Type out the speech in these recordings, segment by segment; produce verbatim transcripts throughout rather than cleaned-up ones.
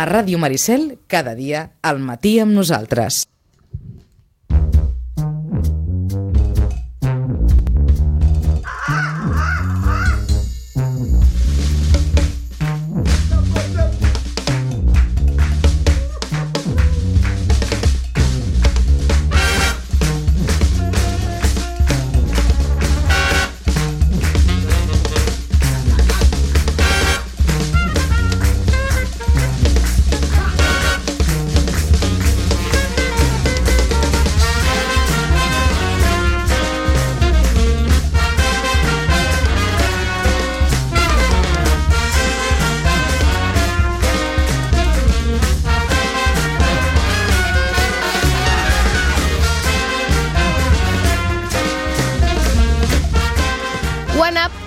A Ràdio Maricel, cada dia, al matí amb nosaltres.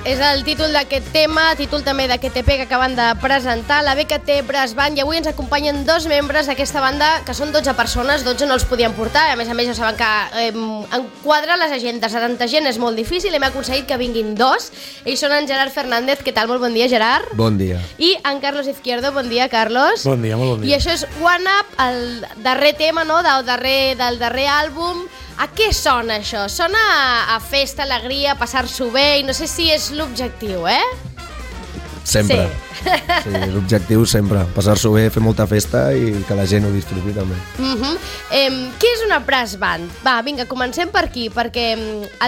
És el títol d'aquest tema, títol també d'aquest E P que acaben de presentar, la B K T Brass Band, i avui ens acompanyen dos membres d'aquesta banda, que són dotze persones, dotze no els podien portar, a més a més ja saben que eh, enquadrar les agendes a tanta gent és molt difícil, hem aconseguit que vinguin dos, ells són en Gerard Fernández. Què tal? Molt bon dia, Gerard. Bon dia. I en Carlos Izquierdo. Bon dia, Carlos. Bon dia, molt bon dia. I això és One Up, el darrer tema, no?, del darrer, del darrer àlbum. A què sona això? Sona a, a festa, alegria, passar-s'ho bé, i no sé si és l'objectiu, eh? Sempre. Sí, sí, l'objectiu sempre. Passar-s'ho bé, fer molta festa i que la gent ho disfruti també. Uh-huh. eh, què és una brass band? Va, vinga, comencem per aquí, perquè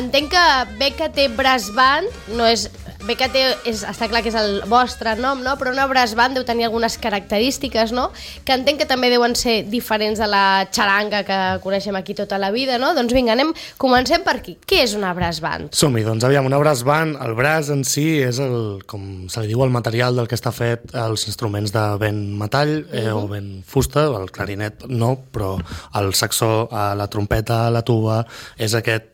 entenc que B K T Brass Band no és... B K T és, està clar que és el vostre nom, no? Però una brass band deu tenir algunes característiques, no?, que entenc que també deuen ser diferents de la xaranga que coneixem aquí tota la vida, no? Doncs vinga, anem, comencem per aquí. Què és una brass band? Som-hi, doncs aviam, una brass band, el brass en si és el, com se li diu, el material del que està fet els instruments de vent metall eh, uh-huh. o vent fusta, el clarinet no, però el saxó, la trompeta, la tuba, és aquest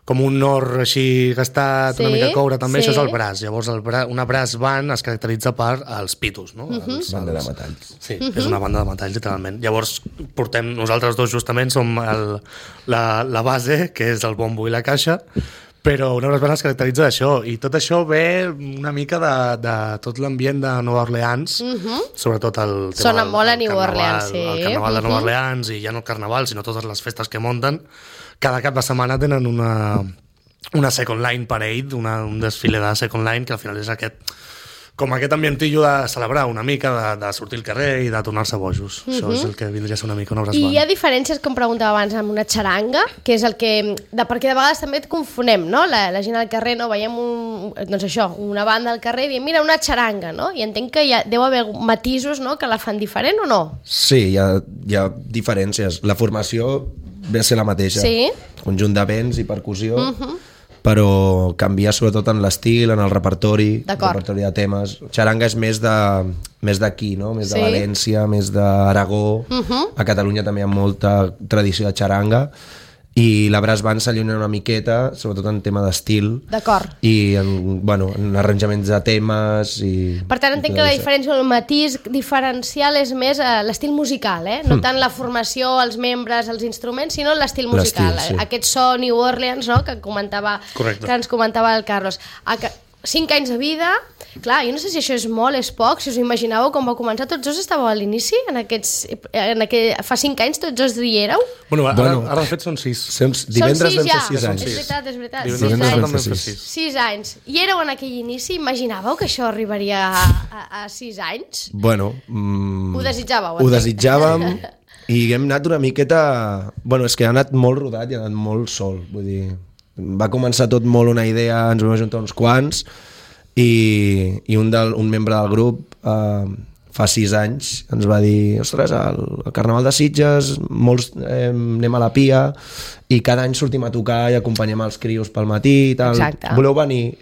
com un or així gastat, sí, una mica coure també, sí. Això és el brass. Llavors el bra... una brass band es caracteritza per els pitos, no? Uh-huh. Els, banda els... de metalls. Sí, uh-huh. és una banda de metalls, literalment. Llavors portem, nosaltres dos justament som el, la, la base, que és el bombo i la caixa, però una brass band es caracteritza d'això, i tot això ve una mica de, de tot l'ambient de Nova Orleans, uh-huh. sobretot el tema Sona del, molt a New carnaval, Orleans, sí. El carnaval uh-huh. de Nova Orleans, i ja no el carnaval, sinó totes les festes que munten. Cada cap de setmana tenen una, una Second Line Parade, una, un desfile de Second Line, que al final és aquest, com aquest ambientillo de celebrar una mica, de, de sortir al carrer i de tornar-se bojos. Uh-huh. Això és el que vindria a ser una mica una brass band. I hi ha diferències, com preguntava abans, amb una xaranga, que és el que... De, perquè de vegades també et confonem, no? La, la gent al carrer, no? Veiem un, doncs això, una banda al carrer i diem, mira, una xaranga, no? I entenc que hi ha, deu haver matisos, no?, que la fan diferent o no? Sí, hi ha, hi ha diferències. La formació ve a ser la mateixa. Sí. Conjunt de vents i percussió, uh-huh. però canvia sobretot en l'estil, en el repertori, el D'acord. repertori de temes. Xaranga és més de més d'aquí, no? Més de Sí. València, més d'Aragó. Uh-huh. A Catalunya també hi ha molta tradició de xaranga. I la brass band s'allunya una miqueta, sobretot en tema d'estil. D'acord. I en, bueno, en arranjaments de temes. I, Per tant, entenc que la diferència, el matís diferencial és més uh, l'estil musical, eh? No mm. tant la formació, els membres, els instruments, sinó l'estil musical. Sí. Aquest so New Orleans, no?, que comentava, Correcte. que ens comentava el Carlos. A que... Cinc anys de vida, clar, jo no sé si això és molt, és poc, si us imaginàveu com va començar, tots dos estàveu a l'inici, en aquests, en aquest, fa cinc anys tots dos hi éreu? Bueno, ara, Bueno. ara de fet són sis. Són, divendres sis vam ja, fer sis anys. és veritat, és veritat, Divendres sis Divendres anys. vam fer vam fer sis. sis. Sis anys. I éreu en aquell inici, imaginàveu que això arribaria a, a, a sis anys? Bueno, mm, Ho desitjàveu? ho entenc. desitjàvem i hem anat una miqueta... Bueno, és que ha anat molt rodat i ha anat molt sol. Vull dir, va començar tot molt una idea, ens vam ajuntar uns quants i, i un, del, un membre del grup eh, fa sis anys ens va dir, ostres, el, el Carnaval de Sitges, molts eh, anem a la Pia i cada any sortim a tocar i acompanyem els crios pel matí i tal. Exacte. Voleu venir?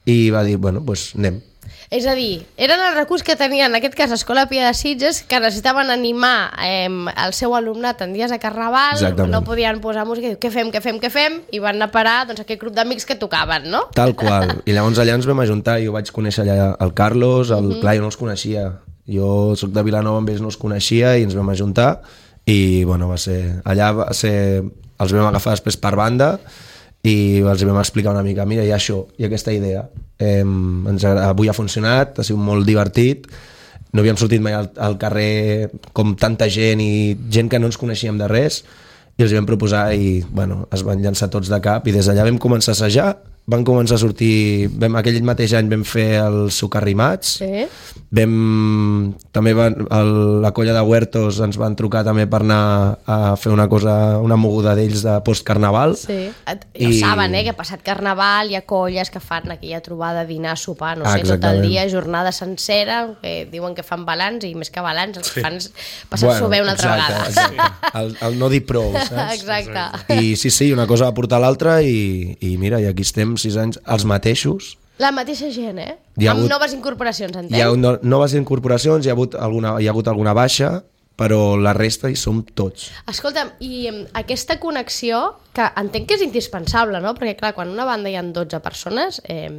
I va dir, bueno, doncs pues anem. És a dir, eren el recurs que tenien, en aquest cas, l'Escola Pia de Sitges, que necessitaven animar eh, el seu alumnat en dies de Carnaval. Exactament. No podien posar música i dir, què fem, què fem, què fem? I van anar a parar, doncs, aquest grup d'amics que tocaven, no? Tal qual. I llavors allà ens vam ajuntar, jo vaig conèixer allà el Carlos, el, mm-hmm. clar, jo no els coneixia. Jo soc de Vilanova, amb ells no els coneixia i ens vam ajuntar i, bueno, va ser... Allà va ser... Els vam agafar després per banda i els vam explicar una mica, mira, hi ha això, hi ha aquesta idea. Eh, ens, avui ha funcionat, ha sigut molt divertit, no havíem sortit mai al, al carrer com tanta gent i gent que no ens coneixíem de res, i els vam proposar i bueno, es van llançar tots de cap, i des d'allà vam començar a assajar, van començar a sortir, vam, aquell mateix any vam fer els Socarrimats, Sí. vam, també van, el, la colla de Huertos ens van trucar també per anar a fer una cosa, una moguda d'ells de postcarnaval. Sí. Et- Ja I- saben, eh, que passat Carnaval hi ha colles que fan aquella trobada, dinar, sopar, no Ah, sé, tot el exactament. dia, jornada sencera, que diuen que fan balanç, i més que balanç, el que fan és passar-s'ho bé una altra exacte, vegada. exacte. El, el no dir prou, saps? Exacte. I sí, sí, una cosa va portar l'altra i, i mira, i aquí estem sis anys, els mateixos. La mateixa gent, eh? Hi ha Amb hagut- noves incorporacions, entenc? Hi ha no, noves incorporacions, hi ha, hagut alguna, hi ha hagut alguna baixa, però la resta hi som tots. Escolta'm, i em, aquesta connexió, que entenc que és indispensable, no? Perquè, clar, quan una banda hi ha dotze persones, eh,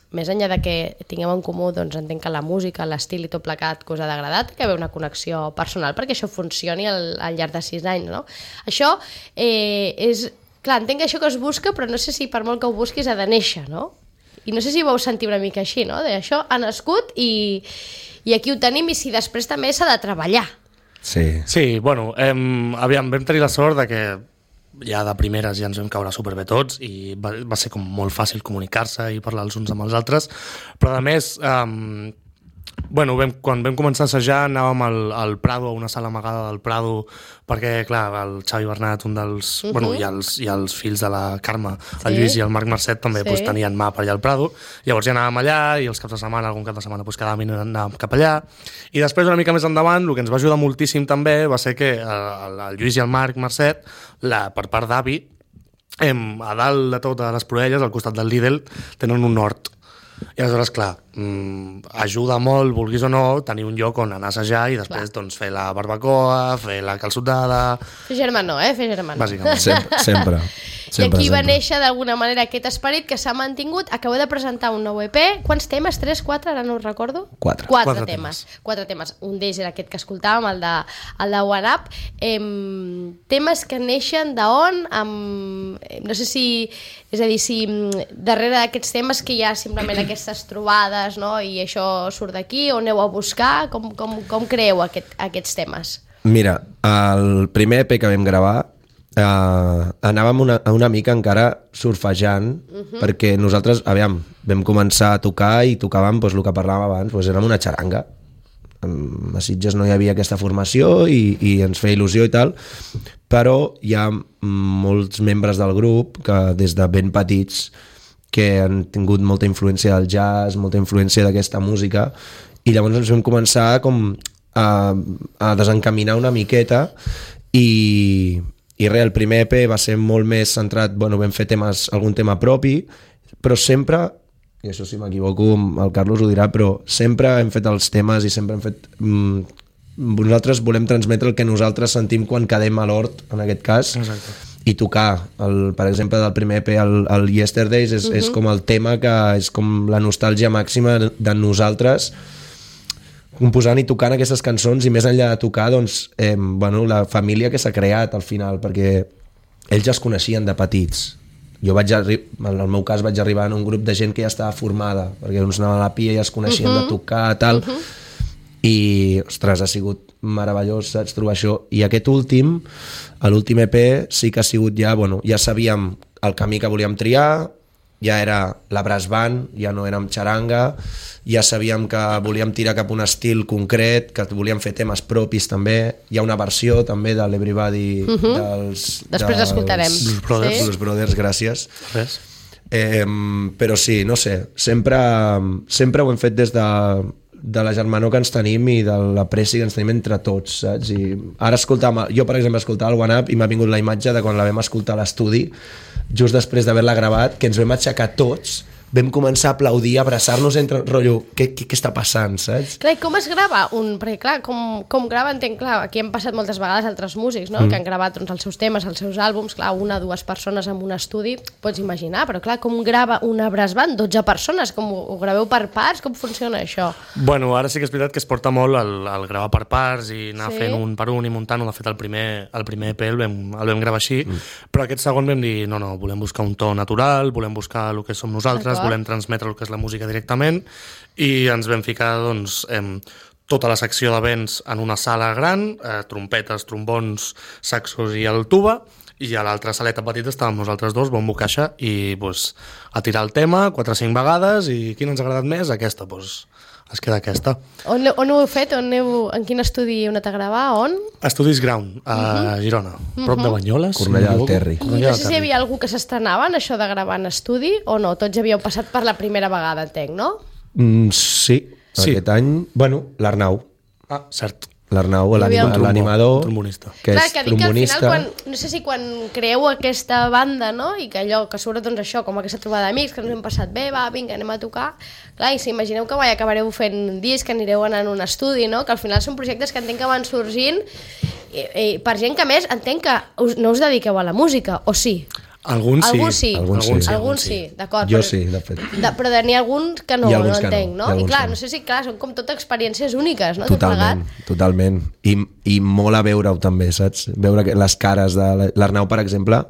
més enllà de que tinguem en comú, doncs entenc que la música, l'estil i tot plegat que us ha d'agradar, té que haver una connexió personal perquè això funcioni al, al llarg de sis anys, no? Això eh, és... Clar, entenc que això que es busca, però no sé si per molt que ho busquis ha de néixer, no? I no sé si vau sentir una mica així, no? De això ha nascut i, i aquí ho tenim, i si després també s'ha de treballar. Sí. Sí, bueno, em, aviam, vam tenir la sort de que ja de primeres ja ens vam caure superbé tots i va, va ser com molt fàcil comunicar-se i parlar els uns amb els altres, però a més, um, bueno, vam, quan vam començar a assajar anàvem al, al Prado, a una sala amagada del Prado, perquè, clar, el Xavi Bernat, un dels... Uh -huh. bueno, i els, i els fills de la Carme, el Sí. Lluís i el Marc Marcet, també Sí. pues, tenien mà per allà al Prado, llavors ja anàvem allà i els caps de setmana, algun cap de setmana, pues, cada minut anàvem cap allà, i després, una mica més endavant, el que ens va ajudar moltíssim també va ser que el, el Lluís i el Marc Marcet, la, per part d'avi, em, a dalt de totes les Proelles, al costat del Lidl, tenen un hort. I aleshores, clar, mmm, ajuda molt, vulguis o no, tenir un lloc on anar a assajar i després doncs, fer la barbacoa, fer la calçotada... Fer germano, eh? Fer germano. Bàsicament. Sempre, sempre. I sempre aquí va sempre. néixer d'alguna manera aquest esperit que s'ha mantingut. Acabeu de presentar un nou E P. Quants temes? Tres, quatre? Ara no ho recordo. Quatre. Quatre, Quatre temes. Quatre temes. Un d'ells era aquest que escoltàvem, el de, el de One Up. Em, temes que neixen d'on? Amb, no sé si... És a dir, si mm, darrere d'aquests temes que hi ha simplement aquestes trobades, no? I això surt d'aquí, on aneu a buscar? Com, com, com creeu aquest, aquests temes? Mira, el primer E P que vam gravar Uh, anàvem una, una mica encara surfejant, uh -huh. perquè nosaltres, aviam, vam començar a tocar i tocàvem doncs, el que parlàvem abans, doncs, érem una xaranga. A Sitges no hi havia aquesta formació i, i ens feia il·lusió i tal, però hi ha molts membres del grup que des de ben petits que han tingut molta influència del jazz, molta influència d'aquesta música, i llavors ens vam començar com a, a desencaminar una miqueta i i res, el primer E P va ser molt més centrat, bueno, vam fer temes, algun tema propi, però sempre, i això si m'equivoco el Carlos ho dirà, però sempre hem fet els temes i sempre hem fet... Mm, nosaltres volem transmetre el que nosaltres sentim quan quedem a l'hort, en aquest cas. Exacte. I tocar, el, per exemple, del primer E P, el, el Yesterdays, és, uh -huh. és com el tema que és com la nostàlgia màxima de nosaltres, composant i tocant aquestes cançons, i més enllà de tocar, doncs, eh, bueno, la família que s'ha creat al final, perquè ells ja es coneixien de petits. Jo vaig arri- en el meu cas vaig arribar en un grup de gent que ja estava formada, perquè uns anaven a la pia i ja es coneixien uh-huh. de tocar, tal, uh-huh. i, ostres, ha sigut meravellós, saps, trobar això. I aquest últim, l'últim E P, sí que ha sigut ja, bueno, ja sabíem el camí que volíem triar, ja era la brass band, ja no érem xaranga, ja sabíem que volíem tirar cap a un estil concret, que volíem fer temes propis també, hi ha una versió també de l'Everybody Uh -huh. dels... Després dels l'escoltarem. Blues Brothers. Sí? Blues Brothers, gràcies. Res. Eh, però sí, no sé, sempre, sempre ho hem fet des de, de la germanor que ens tenim i de l'apreci que ens tenim entre tots, saps? I ara escoltàvem, jo per exemple escoltava el One Up i m'ha vingut la imatge de quan la vam escoltar a l'estudi, just després d'haver-la gravat, que ens vam aixecar tots, vam començar a aplaudir, a abraçar-nos entre rotllo, què, què, què està passant, saps? Clar, i com es grava un... Perquè, clar, com, com grava, entenc, clar, aquí han passat moltes vegades altres músics, no?, mm. que han gravat doncs, els seus temes, els seus àlbums, clar, una o dues persones en un estudi, pots imaginar, però clar, com grava una brass band? dotze persones, com ho, ho graveu per parts? Com funciona això? Bueno, ara sí que és veritat que es porta molt el, el gravar per parts i anar Sí. fent un per un i muntant-ho. De fet, el primer, el primer E P el vam, el vam gravar així, mm. però aquest segon vam dir, no, no, volem buscar un to natural, volem buscar el que som nosaltres, volem transmetre el que és la música directament, i ens vam ficar, doncs, em, tota la secció de vents en una sala gran, eh, trompetes, trombons, saxos i el tuba, i a l'altra saleta petita estàvem nosaltres dos, bombo caixa, i pues, a tirar el tema quatre o cinc vegades, i quina ens ha agradat més? Aquesta, pues, es queda aquesta. On, on ho heu fet? On heu, en quin estudi heu anat a gravar? On? Estudis Ground, a uh-huh. Girona, prop de Banyoles. Cornellà del Terri. I no sé si hi havia algú que s'estrenava en això de gravar en estudi o no? Tots havíeu passat per la primera vegada, entenc, no? Mm, sí, Sí. aquest any, bueno, l'Arnau. Ah, cert. L'Arnau, Hi havia un l'animador, trombonista. que Clar, és que dic que al trombonista. final, quan, no sé si quan creeu aquesta banda, no?, i que allò, que surt doncs això, com aquesta trobada d'amics, que ens hem passat bé, va, vinga, anem a tocar, clar, i si imagineu que vai, acabareu fent un disc, que anireu anant a un estudi, no?, que al final són projectes que entenc que van sorgint, i, i per gent que a més entenc que us, no us dediqueu a la música, o sí? Alguns sí. Alguns sí, Alguns sí. alguns sí, d'acord. Jo però- sí, de fet. De, però n'hi ha alguns que no, Hi ha no alguns que no, entenc, hi no? ha I alguns clar, que no. no sé si, clar, són com tot experiències úniques, no? Tot Totalment, plegat. totalment. I, I molt a veure-ho també, saps? Veure que les cares de l'Arnau, per exemple.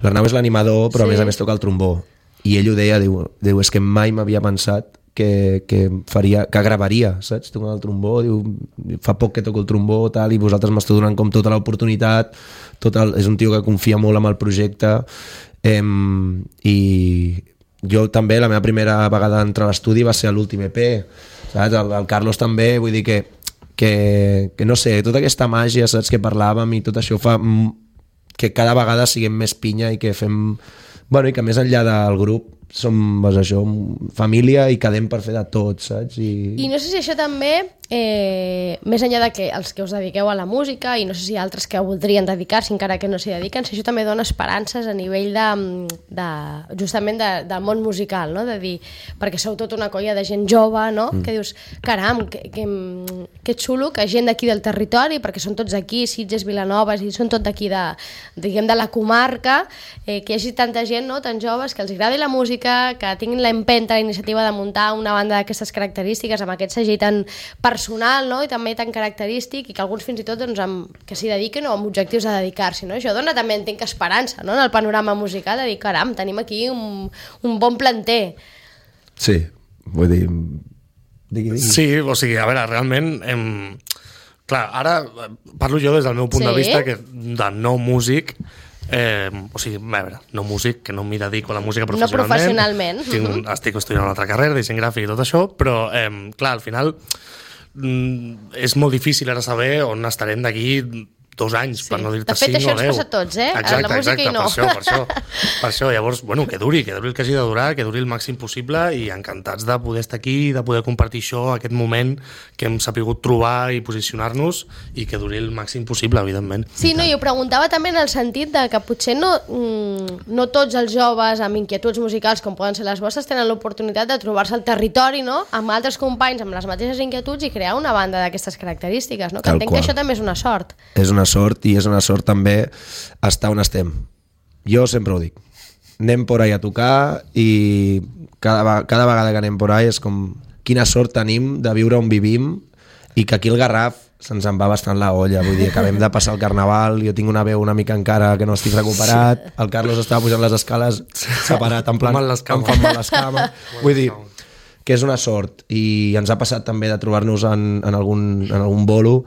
L'Arnau és l'animador, però Sí. a més a més toca el trombó. I ell ho deia, diu, diu és que mai m'havia pensat que, que, faria, que gravaria, saps? Tocant el trombó, diu, fa poc que toco el trombó, tal, i vosaltres m'esteu donant com tota l'oportunitat, tot el, és un tio que confia molt en el projecte, em, i jo també, la meva primera vegada d'entrar a l'estudi va ser a l'últim E P, saps? El, el Carlos també, vull dir que, que, que no sé, tota aquesta màgia, saps, que parlàvem i tot això fa mm, que cada vegada siguem més pinya i que fem, bueno, i que més enllà del grup som, doncs això, família i quedem per fer de tot, saps? I, I no sé si això també, eh, més enllà de que els que us dediqueu a la música i no sé si altres que voldrien dedicar-s'hi encara que no s'hi dediquen, si això també dona esperances a nivell de, de justament de, del món musical, no? De dir, perquè sou tota una colla de gent jove, no? Mm. Que dius, caram, que, que, que xulo que gent d'aquí del territori, perquè són tots aquí, Sitges, Vilanoves, i són tot d'aquí de, diguem, de la comarca, eh, que hi hagi tanta gent, no?, tan joves, que els agradi la música, que tinguin la empenta, la iniciativa de muntar una banda d'aquestes característiques, amb aquest segell tan personal, no?, i també tan característic, i que alguns fins i tot doncs, amb, que s'hi dediquen o amb objectius a dedicar-s'hi, no? Això dona també, entenc, esperança, no?, en el panorama musical, de dir, caram, tenim aquí un, un bon planter. sí, vull dir... Digui, digui. Sí, o sigui, a veure, realment... Hem... Clar, ara parlo jo des del meu punt Sí? de vista que de no músic, eh, o sigui, a veure, no músic, que no m'hi dedico a la música professionalment. No professionalment. Tinc, Mhm. estic estudiant una altra carrera, disseny gràfic i tot això, però, eh, clar, al final mm, és molt difícil ara saber on estarem d'aquí dos anys, Sí. per no dir-te De fet, cinc això o ens deu. passa a tots, eh? A Exacte, la música exacte, i no. per això, per això, per això. Llavors, bueno, que duri, que duri el que hagi de durar, que duri el màxim possible i encantats de poder estar aquí, de poder compartir això, aquest moment que hem sapigut trobar i posicionar-nos i que duri el màxim possible, evidentment. Sí, no, i ho preguntava també en el sentit de que potser no, mm, no tots els joves amb inquietuds musicals com poden ser les vostres tenen l'oportunitat de trobar-se al territori, no?, amb altres companys amb les mateixes inquietuds i crear una banda d'aquestes característiques, no? Que Tal entenc qual. que això també és una sort. És una sort i és una sort també estar on estem. Jo sempre ho dic. Anem por ahí a tocar i cada, ve- cada vegada que anem por ahí és com quina sort tenim de viure on vivim i que aquí el Garraf se'ns en va bastant la olla. Vull dir, acabem de passar el Carnaval, jo tinc una veu una mica encara que no estic recuperat, el Carlos estava pujant les escales separat, en plan, Mal les cames. em fan mal les cames. Vull dir, que és una sort i ens ha passat també de trobar-nos en, en, algun, en algun bolo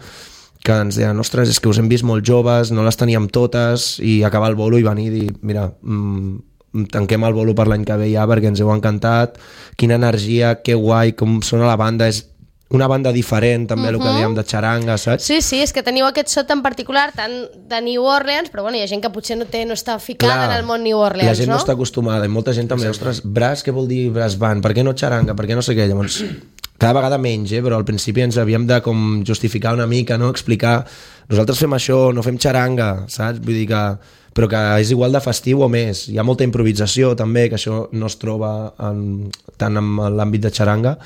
que ens deien, ostres, és que us hem vist molt joves, no les teníem totes, i acabar el bolo i venir i dir, mira, mm, tanquem el bolo per l'any que ve ja perquè ens heu encantat, quina energia, que guai, com sona la banda, és una banda diferent també, uh -huh. el que dèiem de xaranga, saps? Sí, sí, és que teniu aquest so tan particular, tan de New Orleans, però bueno, hi ha gent que potser no, té, no està ficada en el món New Orleans, la gent no? no? està acostumada, i molta gent també, ostres, brass, què vol dir brass band? Per què no xaranga? Per què no sé què? Llavors, cada vegada menys, eh? Però al principi ens havíem de com justificar una mica, no? Explicar, nosaltres fem això, no fem xaranga, saps? Vull dir que però que és igual de festiu o més. Hi ha molta improvisació també, que això no es troba en, tant en l'àmbit de xaranga,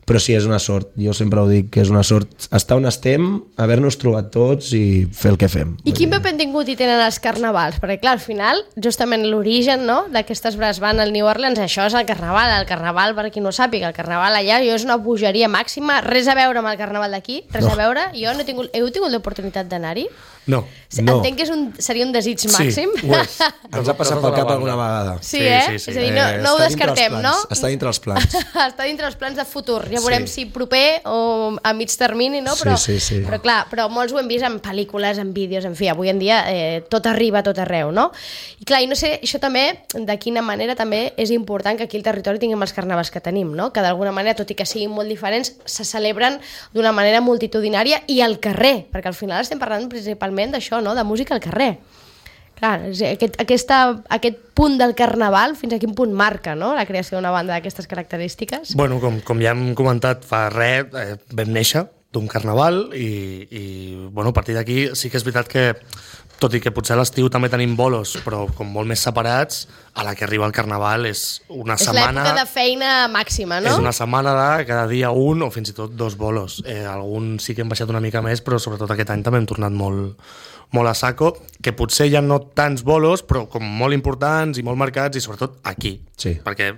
però sí, és una sort, jo sempre ho dic, que és una sort estar on estem, haver-nos trobat tots i fer el que fem. I quin paper han tingut i tenen els carnavals? Perquè clar, al final, justament l'origen, no?, d'aquestes brass band al New Orleans, això és el carnaval. El carnaval, per qui no sàpiga, el carnaval allà jo és una bogeria màxima, res a veure amb el carnaval d'aquí, res No. a veure. Jo no he tingut, heu tingut l'oportunitat d'anar-hi? No. No. Entenc que és un, seria un desig màxim. Sí, ho és. Ens ha passat pel cap alguna vegada. Sí, eh? És a dir, no, Eh, no ho està dintre els descartem, no? plans, Està dintre els plans. Està dintre els plans de futur Ja veurem Sí. si proper o a mig termini, no? Però, Sí, sí, sí. però clar, però molts ho hem vist en pel·lícules, en vídeos, en fi, avui en dia eh, tot arriba a tot arreu, no? I clar, i no sé, això també, de quina manera també és important que aquí al territori tinguem els carnavals que tenim, no? Que d'alguna manera, tot i que siguin molt diferents, se celebren d'una manera multitudinària i al carrer, perquè al final estem parlant principalment d'això, no? De música al carrer. Clar, aquest, aquesta, aquest punt del carnaval, fins a quin punt marca, no?, la creació d'una banda d'aquestes característiques? Bueno, com, com ja hem comentat fa res, eh, vam néixer d'un carnaval i, i bueno, a partir d'aquí sí que és veritat que, tot i que potser a l'estiu també tenim bolos, però com molt més separats, a la que arriba el carnaval és una és setmana... l'època de feina màxima, no? És una setmana de cada dia un o fins i tot dos bolos. Eh, alguns sí que hem baixat una mica més, però sobretot aquest any també hem tornat molt, molt a saco, que potser ja no tants bolos, però com molt importants i molt marcats, i sobretot aquí. Sí. Perquè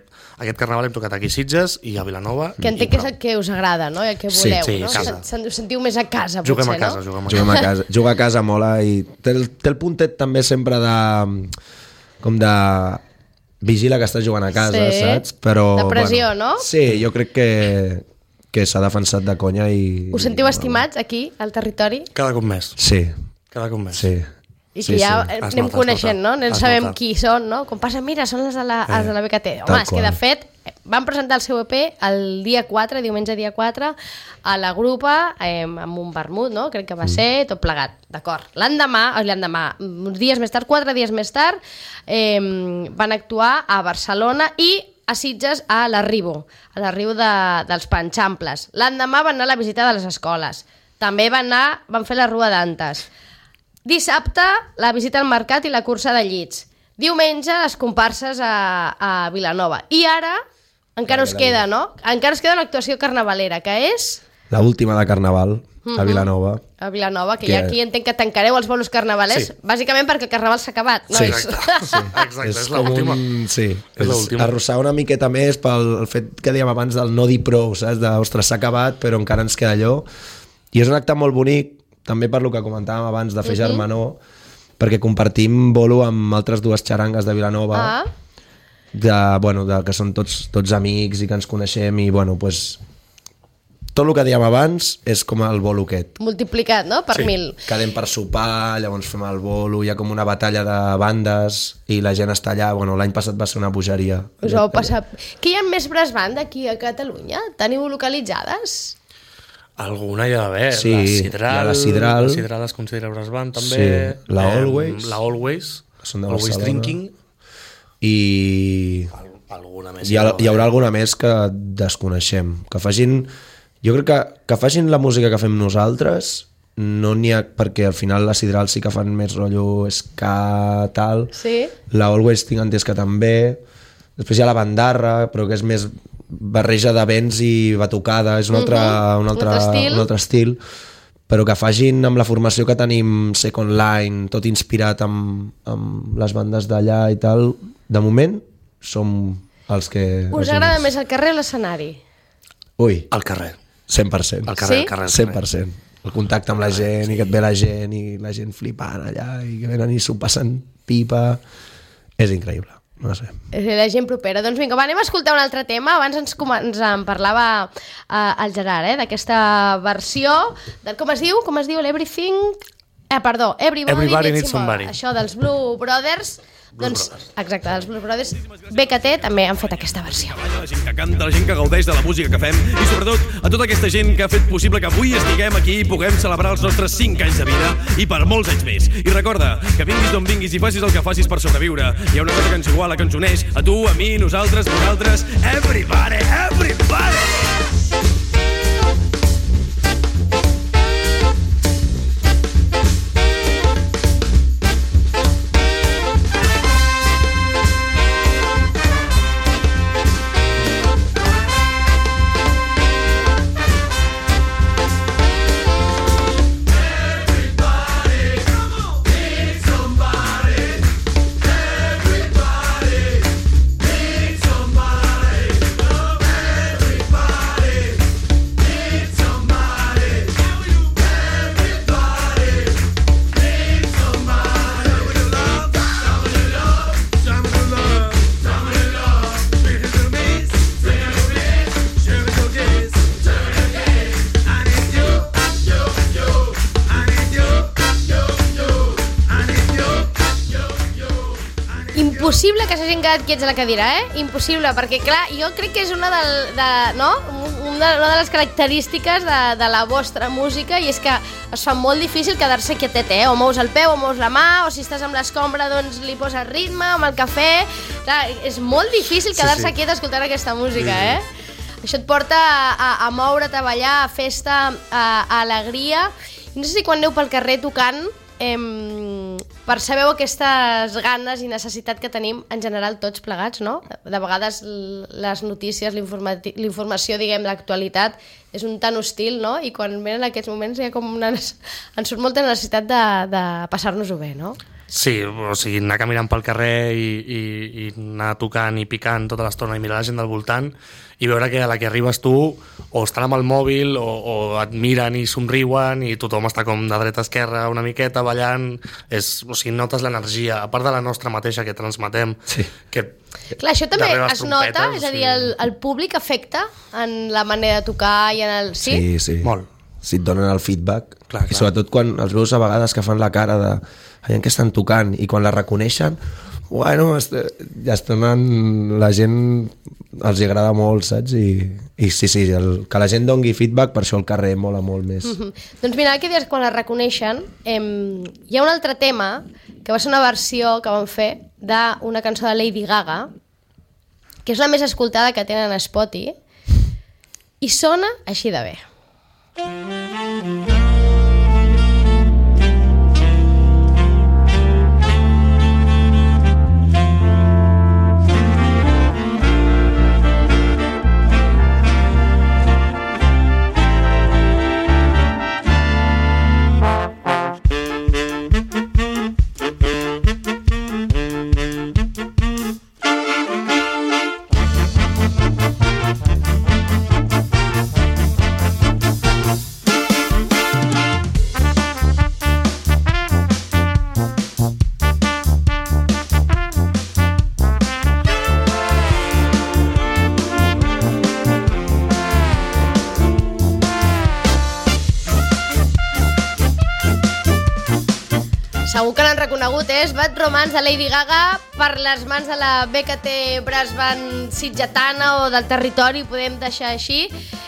aquest carnaval hem tocat aquí a Sitges i a Vilanova. Que entenc que és el que us agrada, no? I el que Sí, voleu, sí, no? casa. Sen- Us sentiu més a casa, Juguem potser, a casa, no? juguem a Juguem casa. a casa. Jugar a casa mola i té el, té el puntet també sempre de... com de... vigila que estàs jugant a casa, Sí. saps? Però, De pressió, no? Sí, jo crec que, que s'ha defensat de conya i... Us sentiu estimats aquí, al territori? Cada cop més, Sí, cada cop més. sí. I Sí, que ja sí. sí. Es anem nota, es coneixent, nota. no? Anem Es sabem nota. qui són, no? Com passa, mira, són les de la, els de la B K T. Home, tal és que de qual. fet van presentar el seu E P el dia quatre, diumenge dia quatre, a la grupa, eh, amb un vermut, no? Crec que va ser tot plegat, d'acord. L'endemà, o l'endemà, uns dies més tard, quatre dies més tard, eh, van actuar a Barcelona i a Sitges a l'Arribo, a l'Arribo de, dels Panxamples. L'endemà van anar a la visita de les escoles. També van anar, van fer la Rua d'Antes. Dissabte, la visita al mercat i la cursa de llits. Diumenge, les comparses a, a Vilanova. I ara, encara us queda, no? Encara us queda una actuació carnavalera, que és La última de Carnaval, a Vilanova. a Vilanova, que, Que- ja aquí entenc que tancareu els bolos carnavalers, Sí. bàsicament perquè el carnaval s'ha acabat, Sí. nois? Exacte, sí, exacte, és, és és l'última. un... Sí, És és l'última. arrossar una miqueta més pel el fet que dèiem abans del no dir prou, saps? De, ostres, s'ha acabat, però encara ens queda allò. I és un acte molt bonic, també per lo que comentàvem abans de fer uh -huh. germanor, perquè compartim bolo amb altres dues xarangues de Vilanova, Ah, de, bueno, de, que són tots, tots amics i que ens coneixem i bueno, pues, tot el que dèiem abans és com el bolo aquest. multiplicat, no? Per Sí. mil. Quedem per sopar, llavors fem el bolo, hi ha com una batalla de bandes i la gent està allà, bueno, l'any passat va ser una bogeria. Us ho heu passat... Que hi ha més brass band aquí a Catalunya? Teniu localitzades? Alguna hi ha d'haver. Sí, la hi Sidral, ha la Sidral. La Sidral es considera brass band, també. Sí, la Em, Always. La Always. Que són de Always Barcelona. Drinking. I Al- Alguna més. hi, ha, deu hi haurà haver. alguna més que desconeixem. Que facin... Jo crec que, que facin la música que fem nosaltres, no n'hi ha... Perquè al final la Sidral sí que fan més rotllo ska, tal. Sí. La Always tinc entès que també. Després hi ha la Bandarra, però que és més barreja de vents i batucada, és un altre, Mhm. un altre, Un altre estil. un altre estil, però que facin amb la formació que tenim Second Line, tot inspirat amb, amb les bandes d'allà i tal, de moment som els que... Us els agrada únics. més el carrer o l'escenari? Ui, Al carrer. cent per cent. Al carrer, Sí? al carrer. al cent carrer. per cent. El contacte amb la gent i que et ve la gent i la gent flipant allà i que venen i s'ho passen pipa, és increïble, no sé. La gent propera. Doncs vinga, va, anem a escoltar un altre tema. Abans ens, com, ens en parlava eh, el Gerard, eh, d'aquesta versió de, com es diu? Com es diu? L'Everything... Eh, perdó, Everybody, Everybody Needs Needs Somebody. Somebody. Això dels Blue Brothers. Blues doncs, Brothers. exacte, dels Blue Brothers. B K T també han fet aquesta versió. La gent que canta, la gent que gaudeix de la música que fem i sobretot a tota aquesta gent que ha fet possible que avui estiguem aquí i puguem celebrar els nostres cinc anys de vida i per molts anys més. I recorda que vinguis d'on vinguis i facis el que facis per sobreviure. Hi ha una cosa que ens iguala, que ens uneix a tu, a mi, nosaltres, vosaltres, everybody, everybody! Everybody impossible que s'hagin quedat quiets a la cadira, eh? Impossible, perquè clar, jo crec que és una, del, de, no? una, una de les característiques de, de la vostra música, i és que es fa molt difícil quedar-se quietet, eh? O mous el peu, o mous la mà, o si estàs amb l'escombra doncs li poses ritme, amb el cafè. Clar, és molt difícil quedar-se sí, sí. quiet escoltant aquesta música, sí, sí. eh? Això et porta a, a, a moure, a treballar, a festa, a, a alegria. No sé si quan aneu pel carrer tocant eh, percebeu aquestes ganes i necessitat que tenim en general tots plegats, no? De vegades les notícies, l'informació, diguem, l'actualitat és un tan hostil, no? I quan venen aquests moments hi ha com una... ens surt molta necessitat de, de passar-nos-ho bé, no? Sí, o sigui, anar caminant pel carrer i, i, i anar tocant i picant tota l'estona i mirar la gent del voltant i veure que a la que arribes tu o estan amb el mòbil o, o et miren i somriuen i tothom està com de dreta a esquerra una miqueta ballant, és, o sigui, notes l'energia, a part de la nostra mateixa que transmetem, sí. que clar, això també es nota, és a dir, el, el públic afecta en la manera de tocar i en el... Sí? Sí, sí. Molt. Si et donen el feedback, clar, clar. I sobretot quan els veus a vegades que fan la cara de allà que estan tocant i quan la reconeixen, bueno, ja estan la gent els agrada molt, saps? I, i sí, sí, el, que la gent dongui feedback, per això el carrer mola molt més. Mm-hmm. Doncs mira, que dius, quan la reconeixen, eh, hi ha un altre tema que va ser una versió que van fer d'una cançó de Lady Gaga, que és la més escoltada que tenen a Spotify, i sona així de bé. Segur que l'han reconegut, és Bad Romance de Lady Gaga per les mans de la B K T Brass Band sitgetana o del territori, podem deixar així.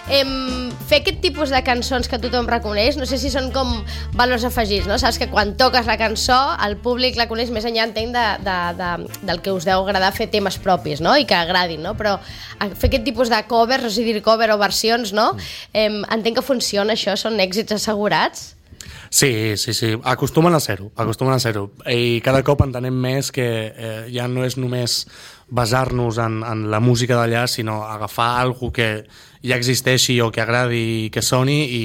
Em, fer aquest tipus de cançons que tothom reconeix, no sé si són com valors afegits, no? Saps que quan toques la cançó el públic la coneix més enllà, entenc, de, de, de, del que us deu agradar fer temes propis, no? I que agradin, no? Però fer aquest tipus de covers, no sé dir cover o versions, no? Em, entenc que funciona això, són èxits assegurats. Sí, sí, sí, acostumen a ser-ho, acostumen a ser-ho. I cada cop entenem més que eh, ja no és només basar-nos en, en la música d'allà, sinó agafar alguna que ja existeixi o que agradi i que soni i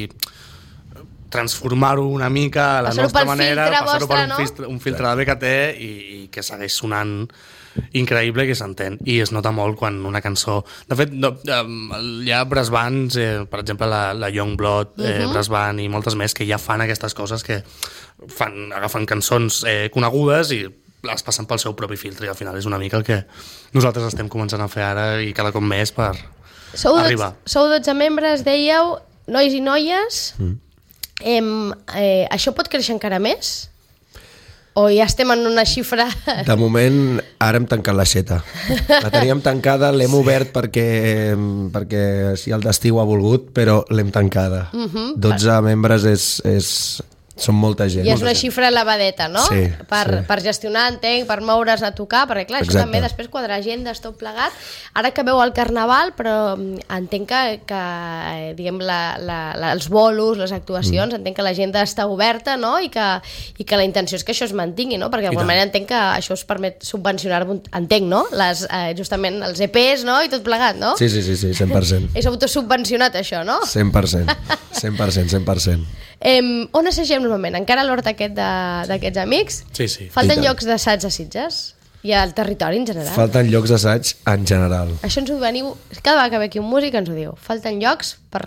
transformar-ho una mica a la passar-ho nostra manera, passar-ho per no? un filtre, un filtre de B K T i, i que segueix sonant increïble, que s'entén, i es nota molt quan una cançó... De fet, no, hi ha brass bands, eh, per exemple la, la Youngblood eh, uh-huh. brass band i moltes més que ja fan aquestes coses, que fan, agafen cançons eh, conegudes i les passen pel seu propi filtre, i al final és una mica el que nosaltres estem començant a fer ara i cada cop més per sou arribar. Dotze, sou dotze membres, dèieu, nois i noies. Mm. Em, eh, això pot créixer encara més? O ja estem en una xifra... De moment, ara hem tancat l'aixeta. La teníem tancada, l'hem obert perquè, perquè si el destí ho ha volgut, però l'hem tancada. Uh-huh. dotze membres és, és, són molta gent. I és una xifra elevadeta, no? Sí, per, sí. per gestionar, entenc, per moure's a tocar, perquè clar, Exacte. Això també després quadrar agendes, tot plegat. Ara que veu el carnaval, però entenc que, que diguem, la, la, la, els bolos, les actuacions, mm. entenc que l'agenda està oberta, no? I que, i que la intenció és que això es mantingui, no? Perquè d'alguna manera entenc que això us permet subvencionar, entenc, no? Les, eh, justament els E Pes, no? I tot plegat, no? Sí, sí, sí, sí, cent per cent. És autosubvencionat, això, no? cent per cent, cent per cent, cent per cent. Eh, on assagem normalment? Encara a l'hort aquest d'aquests amics? Sí, sí. Falten llocs d'assaig a Sitges? I al territori en general? Falten llocs d'assaig en general. Això ens ho veniu... Cada vegada que ve aquí un músic ens ho diu. Falten llocs per,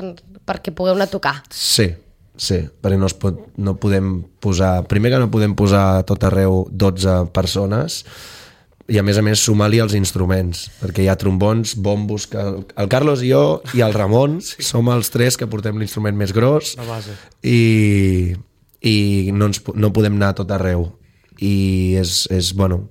perquè pugueu anar a tocar. Sí, sí, perquè no, es pot, no podem posar... Primer que no podem posar a tot arreu dotze persones i a més a més sumar-li els instruments, perquè hi ha trombons, bombos, que el Carlos i jo i el Ramon sí. som els tres que portem l'instrument més gros i, i no, ens, no podem anar a tot arreu i és, és bueno,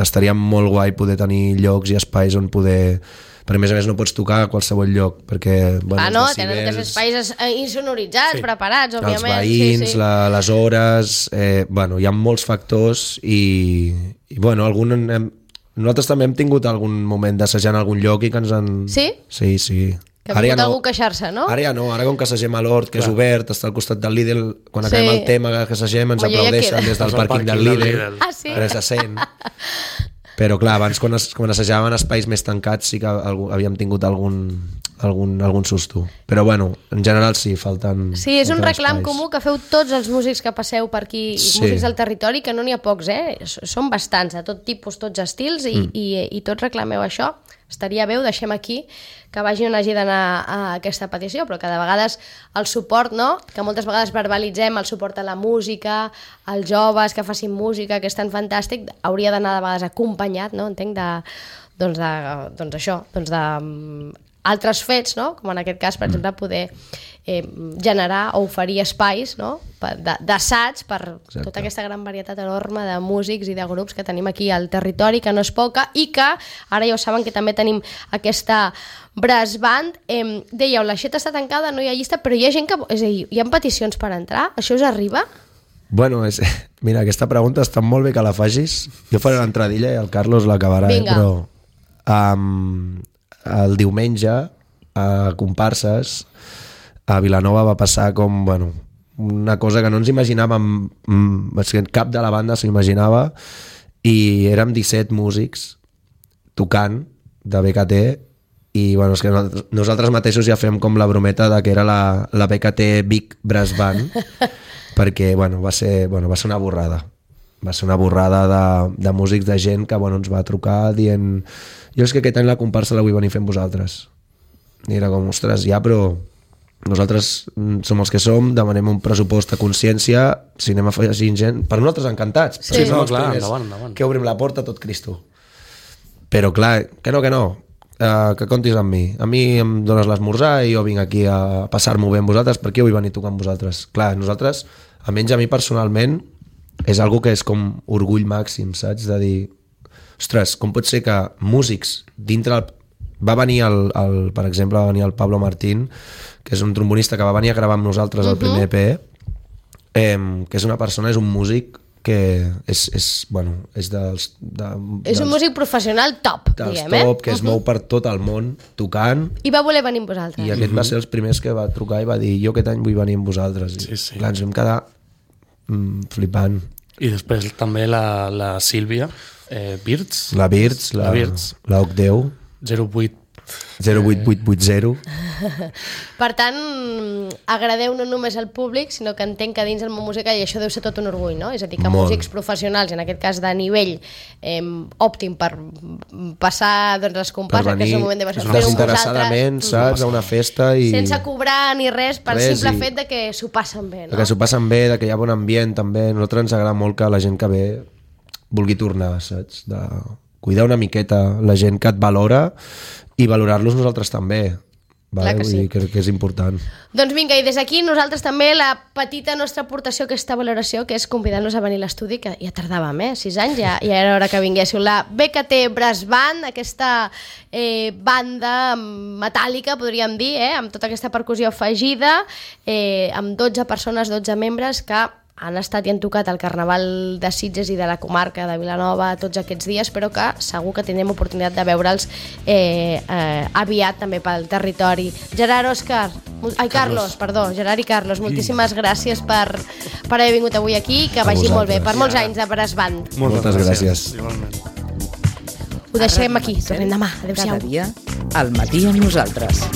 estaria molt guai poder tenir llocs i espais on poder... Perquè a més a més no pots tocar a qualsevol lloc, perquè... Bueno, ah, no? els Tenen decibels, aquests espais insonoritzats, sí. preparats, òbviament. Els veïns, sí, sí. La, les hores... Eh, bueno, hi ha molts factors i, i bueno, algun... Hem, nosaltres també hem tingut algun moment d'assajant a algun lloc i que ens han... Sí? Sí, sí. Que ha vingut ja algú no. queixar-se, no? Ara ja no, ara com que assagem a l'Hort, que Clar. és obert, està al costat del Lidl, quan acabem sí. el tema que assagem ens aplaudeixen ja des del pàrquing del Lidl. Lidl. Ah, sí? Res se sent. Però clar, abans quan, es, quan assajàvem espais més tancats sí que algú, havíem tingut algun, algun, algun susto. Però bueno, en general sí, falten... Sí, és un reclam espais. comú que feu tots els músics que passeu per aquí, sí. músics del territori, que no n'hi ha pocs, eh? Són bastants, de tot tipus, tots estils, i, mm. i, i tots reclameu això. Estaria bé, ho deixem aquí, que vagi on hagi d'anar a aquesta petició, però que de vegades el suport, no? Que moltes vegades verbalitzem el suport a la música, als joves que facin música, que és tan fantàstic, hauria d'anar de vegades acompanyat, no? Entenc, de, doncs, de, doncs això, doncs de um, altres fets, no? Com en aquest cas, per exemple, poder eh, generar o oferir espais, no? d'assaig per Exacte. tota aquesta gran varietat enorme de músics i de grups que tenim aquí al territori, que no és poca, i que ara ja ho saben que també tenim aquesta brass band. Eh, dèieu, l'aixeta està tancada, no hi ha llista, però hi ha gent que... És a dir, hi ha peticions per entrar? Això us arriba? Bueno, és, mira, aquesta pregunta està molt bé que la facis. Jo faré l'entradilla i el Carlos l'acabarà, eh, però um, el diumenge a Comparses a Vilanova va passar com, bueno, una cosa que no ens imaginàvem, cap de la banda s'ho imaginava, i érem disset músics tocant de B K T, i bueno, és que nosaltres mateixos ja fem com la brometa de que era la, la B K T Big Brass Band, perquè bueno, va ser, bueno, va ser una borrada. Va ser una borrada de, de músics, de gent que bueno, ens va trucar dient jo és que aquest any la comparsa la vull venir fent vosaltres. I era com, ostres, ja, però nosaltres som els que som, demanem un pressupost a consciència, si anem afegint gent, per nosaltres encantats. Sí, sí no, clar, endavant, endavant. Que obrim la porta a tot Cristo. Però clar, que no, que no, uh, que comptis amb mi. A mi em dones l'esmorzar i jo vinc aquí a passar-m'ho bé amb vosaltres, per què vull venir a tocar amb vosaltres? Clar, nosaltres, almenys a mi personalment, és algo que és com orgull màxim, saps? De dir, ostres, com pot ser que músics dintre el... Va venir, el, el, per exemple, va venir el Pablo Martín, que és un trombonista que va venir a gravar amb nosaltres el primer E P, eh, que és una persona, és un músic que és, és bueno, és dels... De, és un músic professional top, dels diguem, top, eh? que es uh-huh. mou per tot el món tocant. I va voler venir amb vosaltres. I aquest uh-huh. va ser els primers que va trucar i va dir, jo aquest any vull venir amb vosaltres. I, sí, sí. clar, ens vam quedar mm, flipant. I després també la, la Sílvia eh, Birds. La Birds, la, la, Birds. la O C deu. zero vuit zero vuit vuit vuit zero. Per tant, agradeu no només al públic, sinó que entenc que dins del món musical, i això deu ser tot un orgull, no? És a dir, que Molt. músics professionals, en aquest cas de nivell eh, òptim per passar doncs, les comparses, que és un moment de fer-ho amb desinteressadament, saps? A una festa i... sense cobrar ni res, per res, simple i... fet de que s'ho passen bé, no? Que s'ho passen bé, de que hi ha bon ambient també. A nosaltres ens agrada molt que la gent que ve vulgui tornar, saps? De cuidar una miqueta la gent que et valora i valorar-los nosaltres també. Vale? Clar que sí. Vull dir que, que és important. Doncs vinga, i des d'aquí nosaltres també la petita nostra aportació a aquesta valoració, que és convidar-nos a venir a l'estudi, que ja tardàvem, eh? Sis anys, ja, ja era hora que vinguéssiu. La B K T Brass Band, aquesta eh, banda metàl·lica, podríem dir, eh? Amb tota aquesta percussió afegida, eh, amb dotze persones, dotze membres, que han estat i han tocat el Carnaval de Sitges i de la comarca de Vilanova tots aquests dies, però que segur que tindrem oportunitat de veure'ls eh, eh, aviat també pel territori. Gerard, Òscar, ai, Carlos, Carlos perdó, Gerard i Carlos, moltíssimes gràcies per, per haver vingut avui aquí, que vagi molt bé, per molts anys de Brass Band. Moltes gràcies. Igualment. Ho deixem aquí, tornem demà. Adéu-siau. Cada dia, al matí amb nosaltres.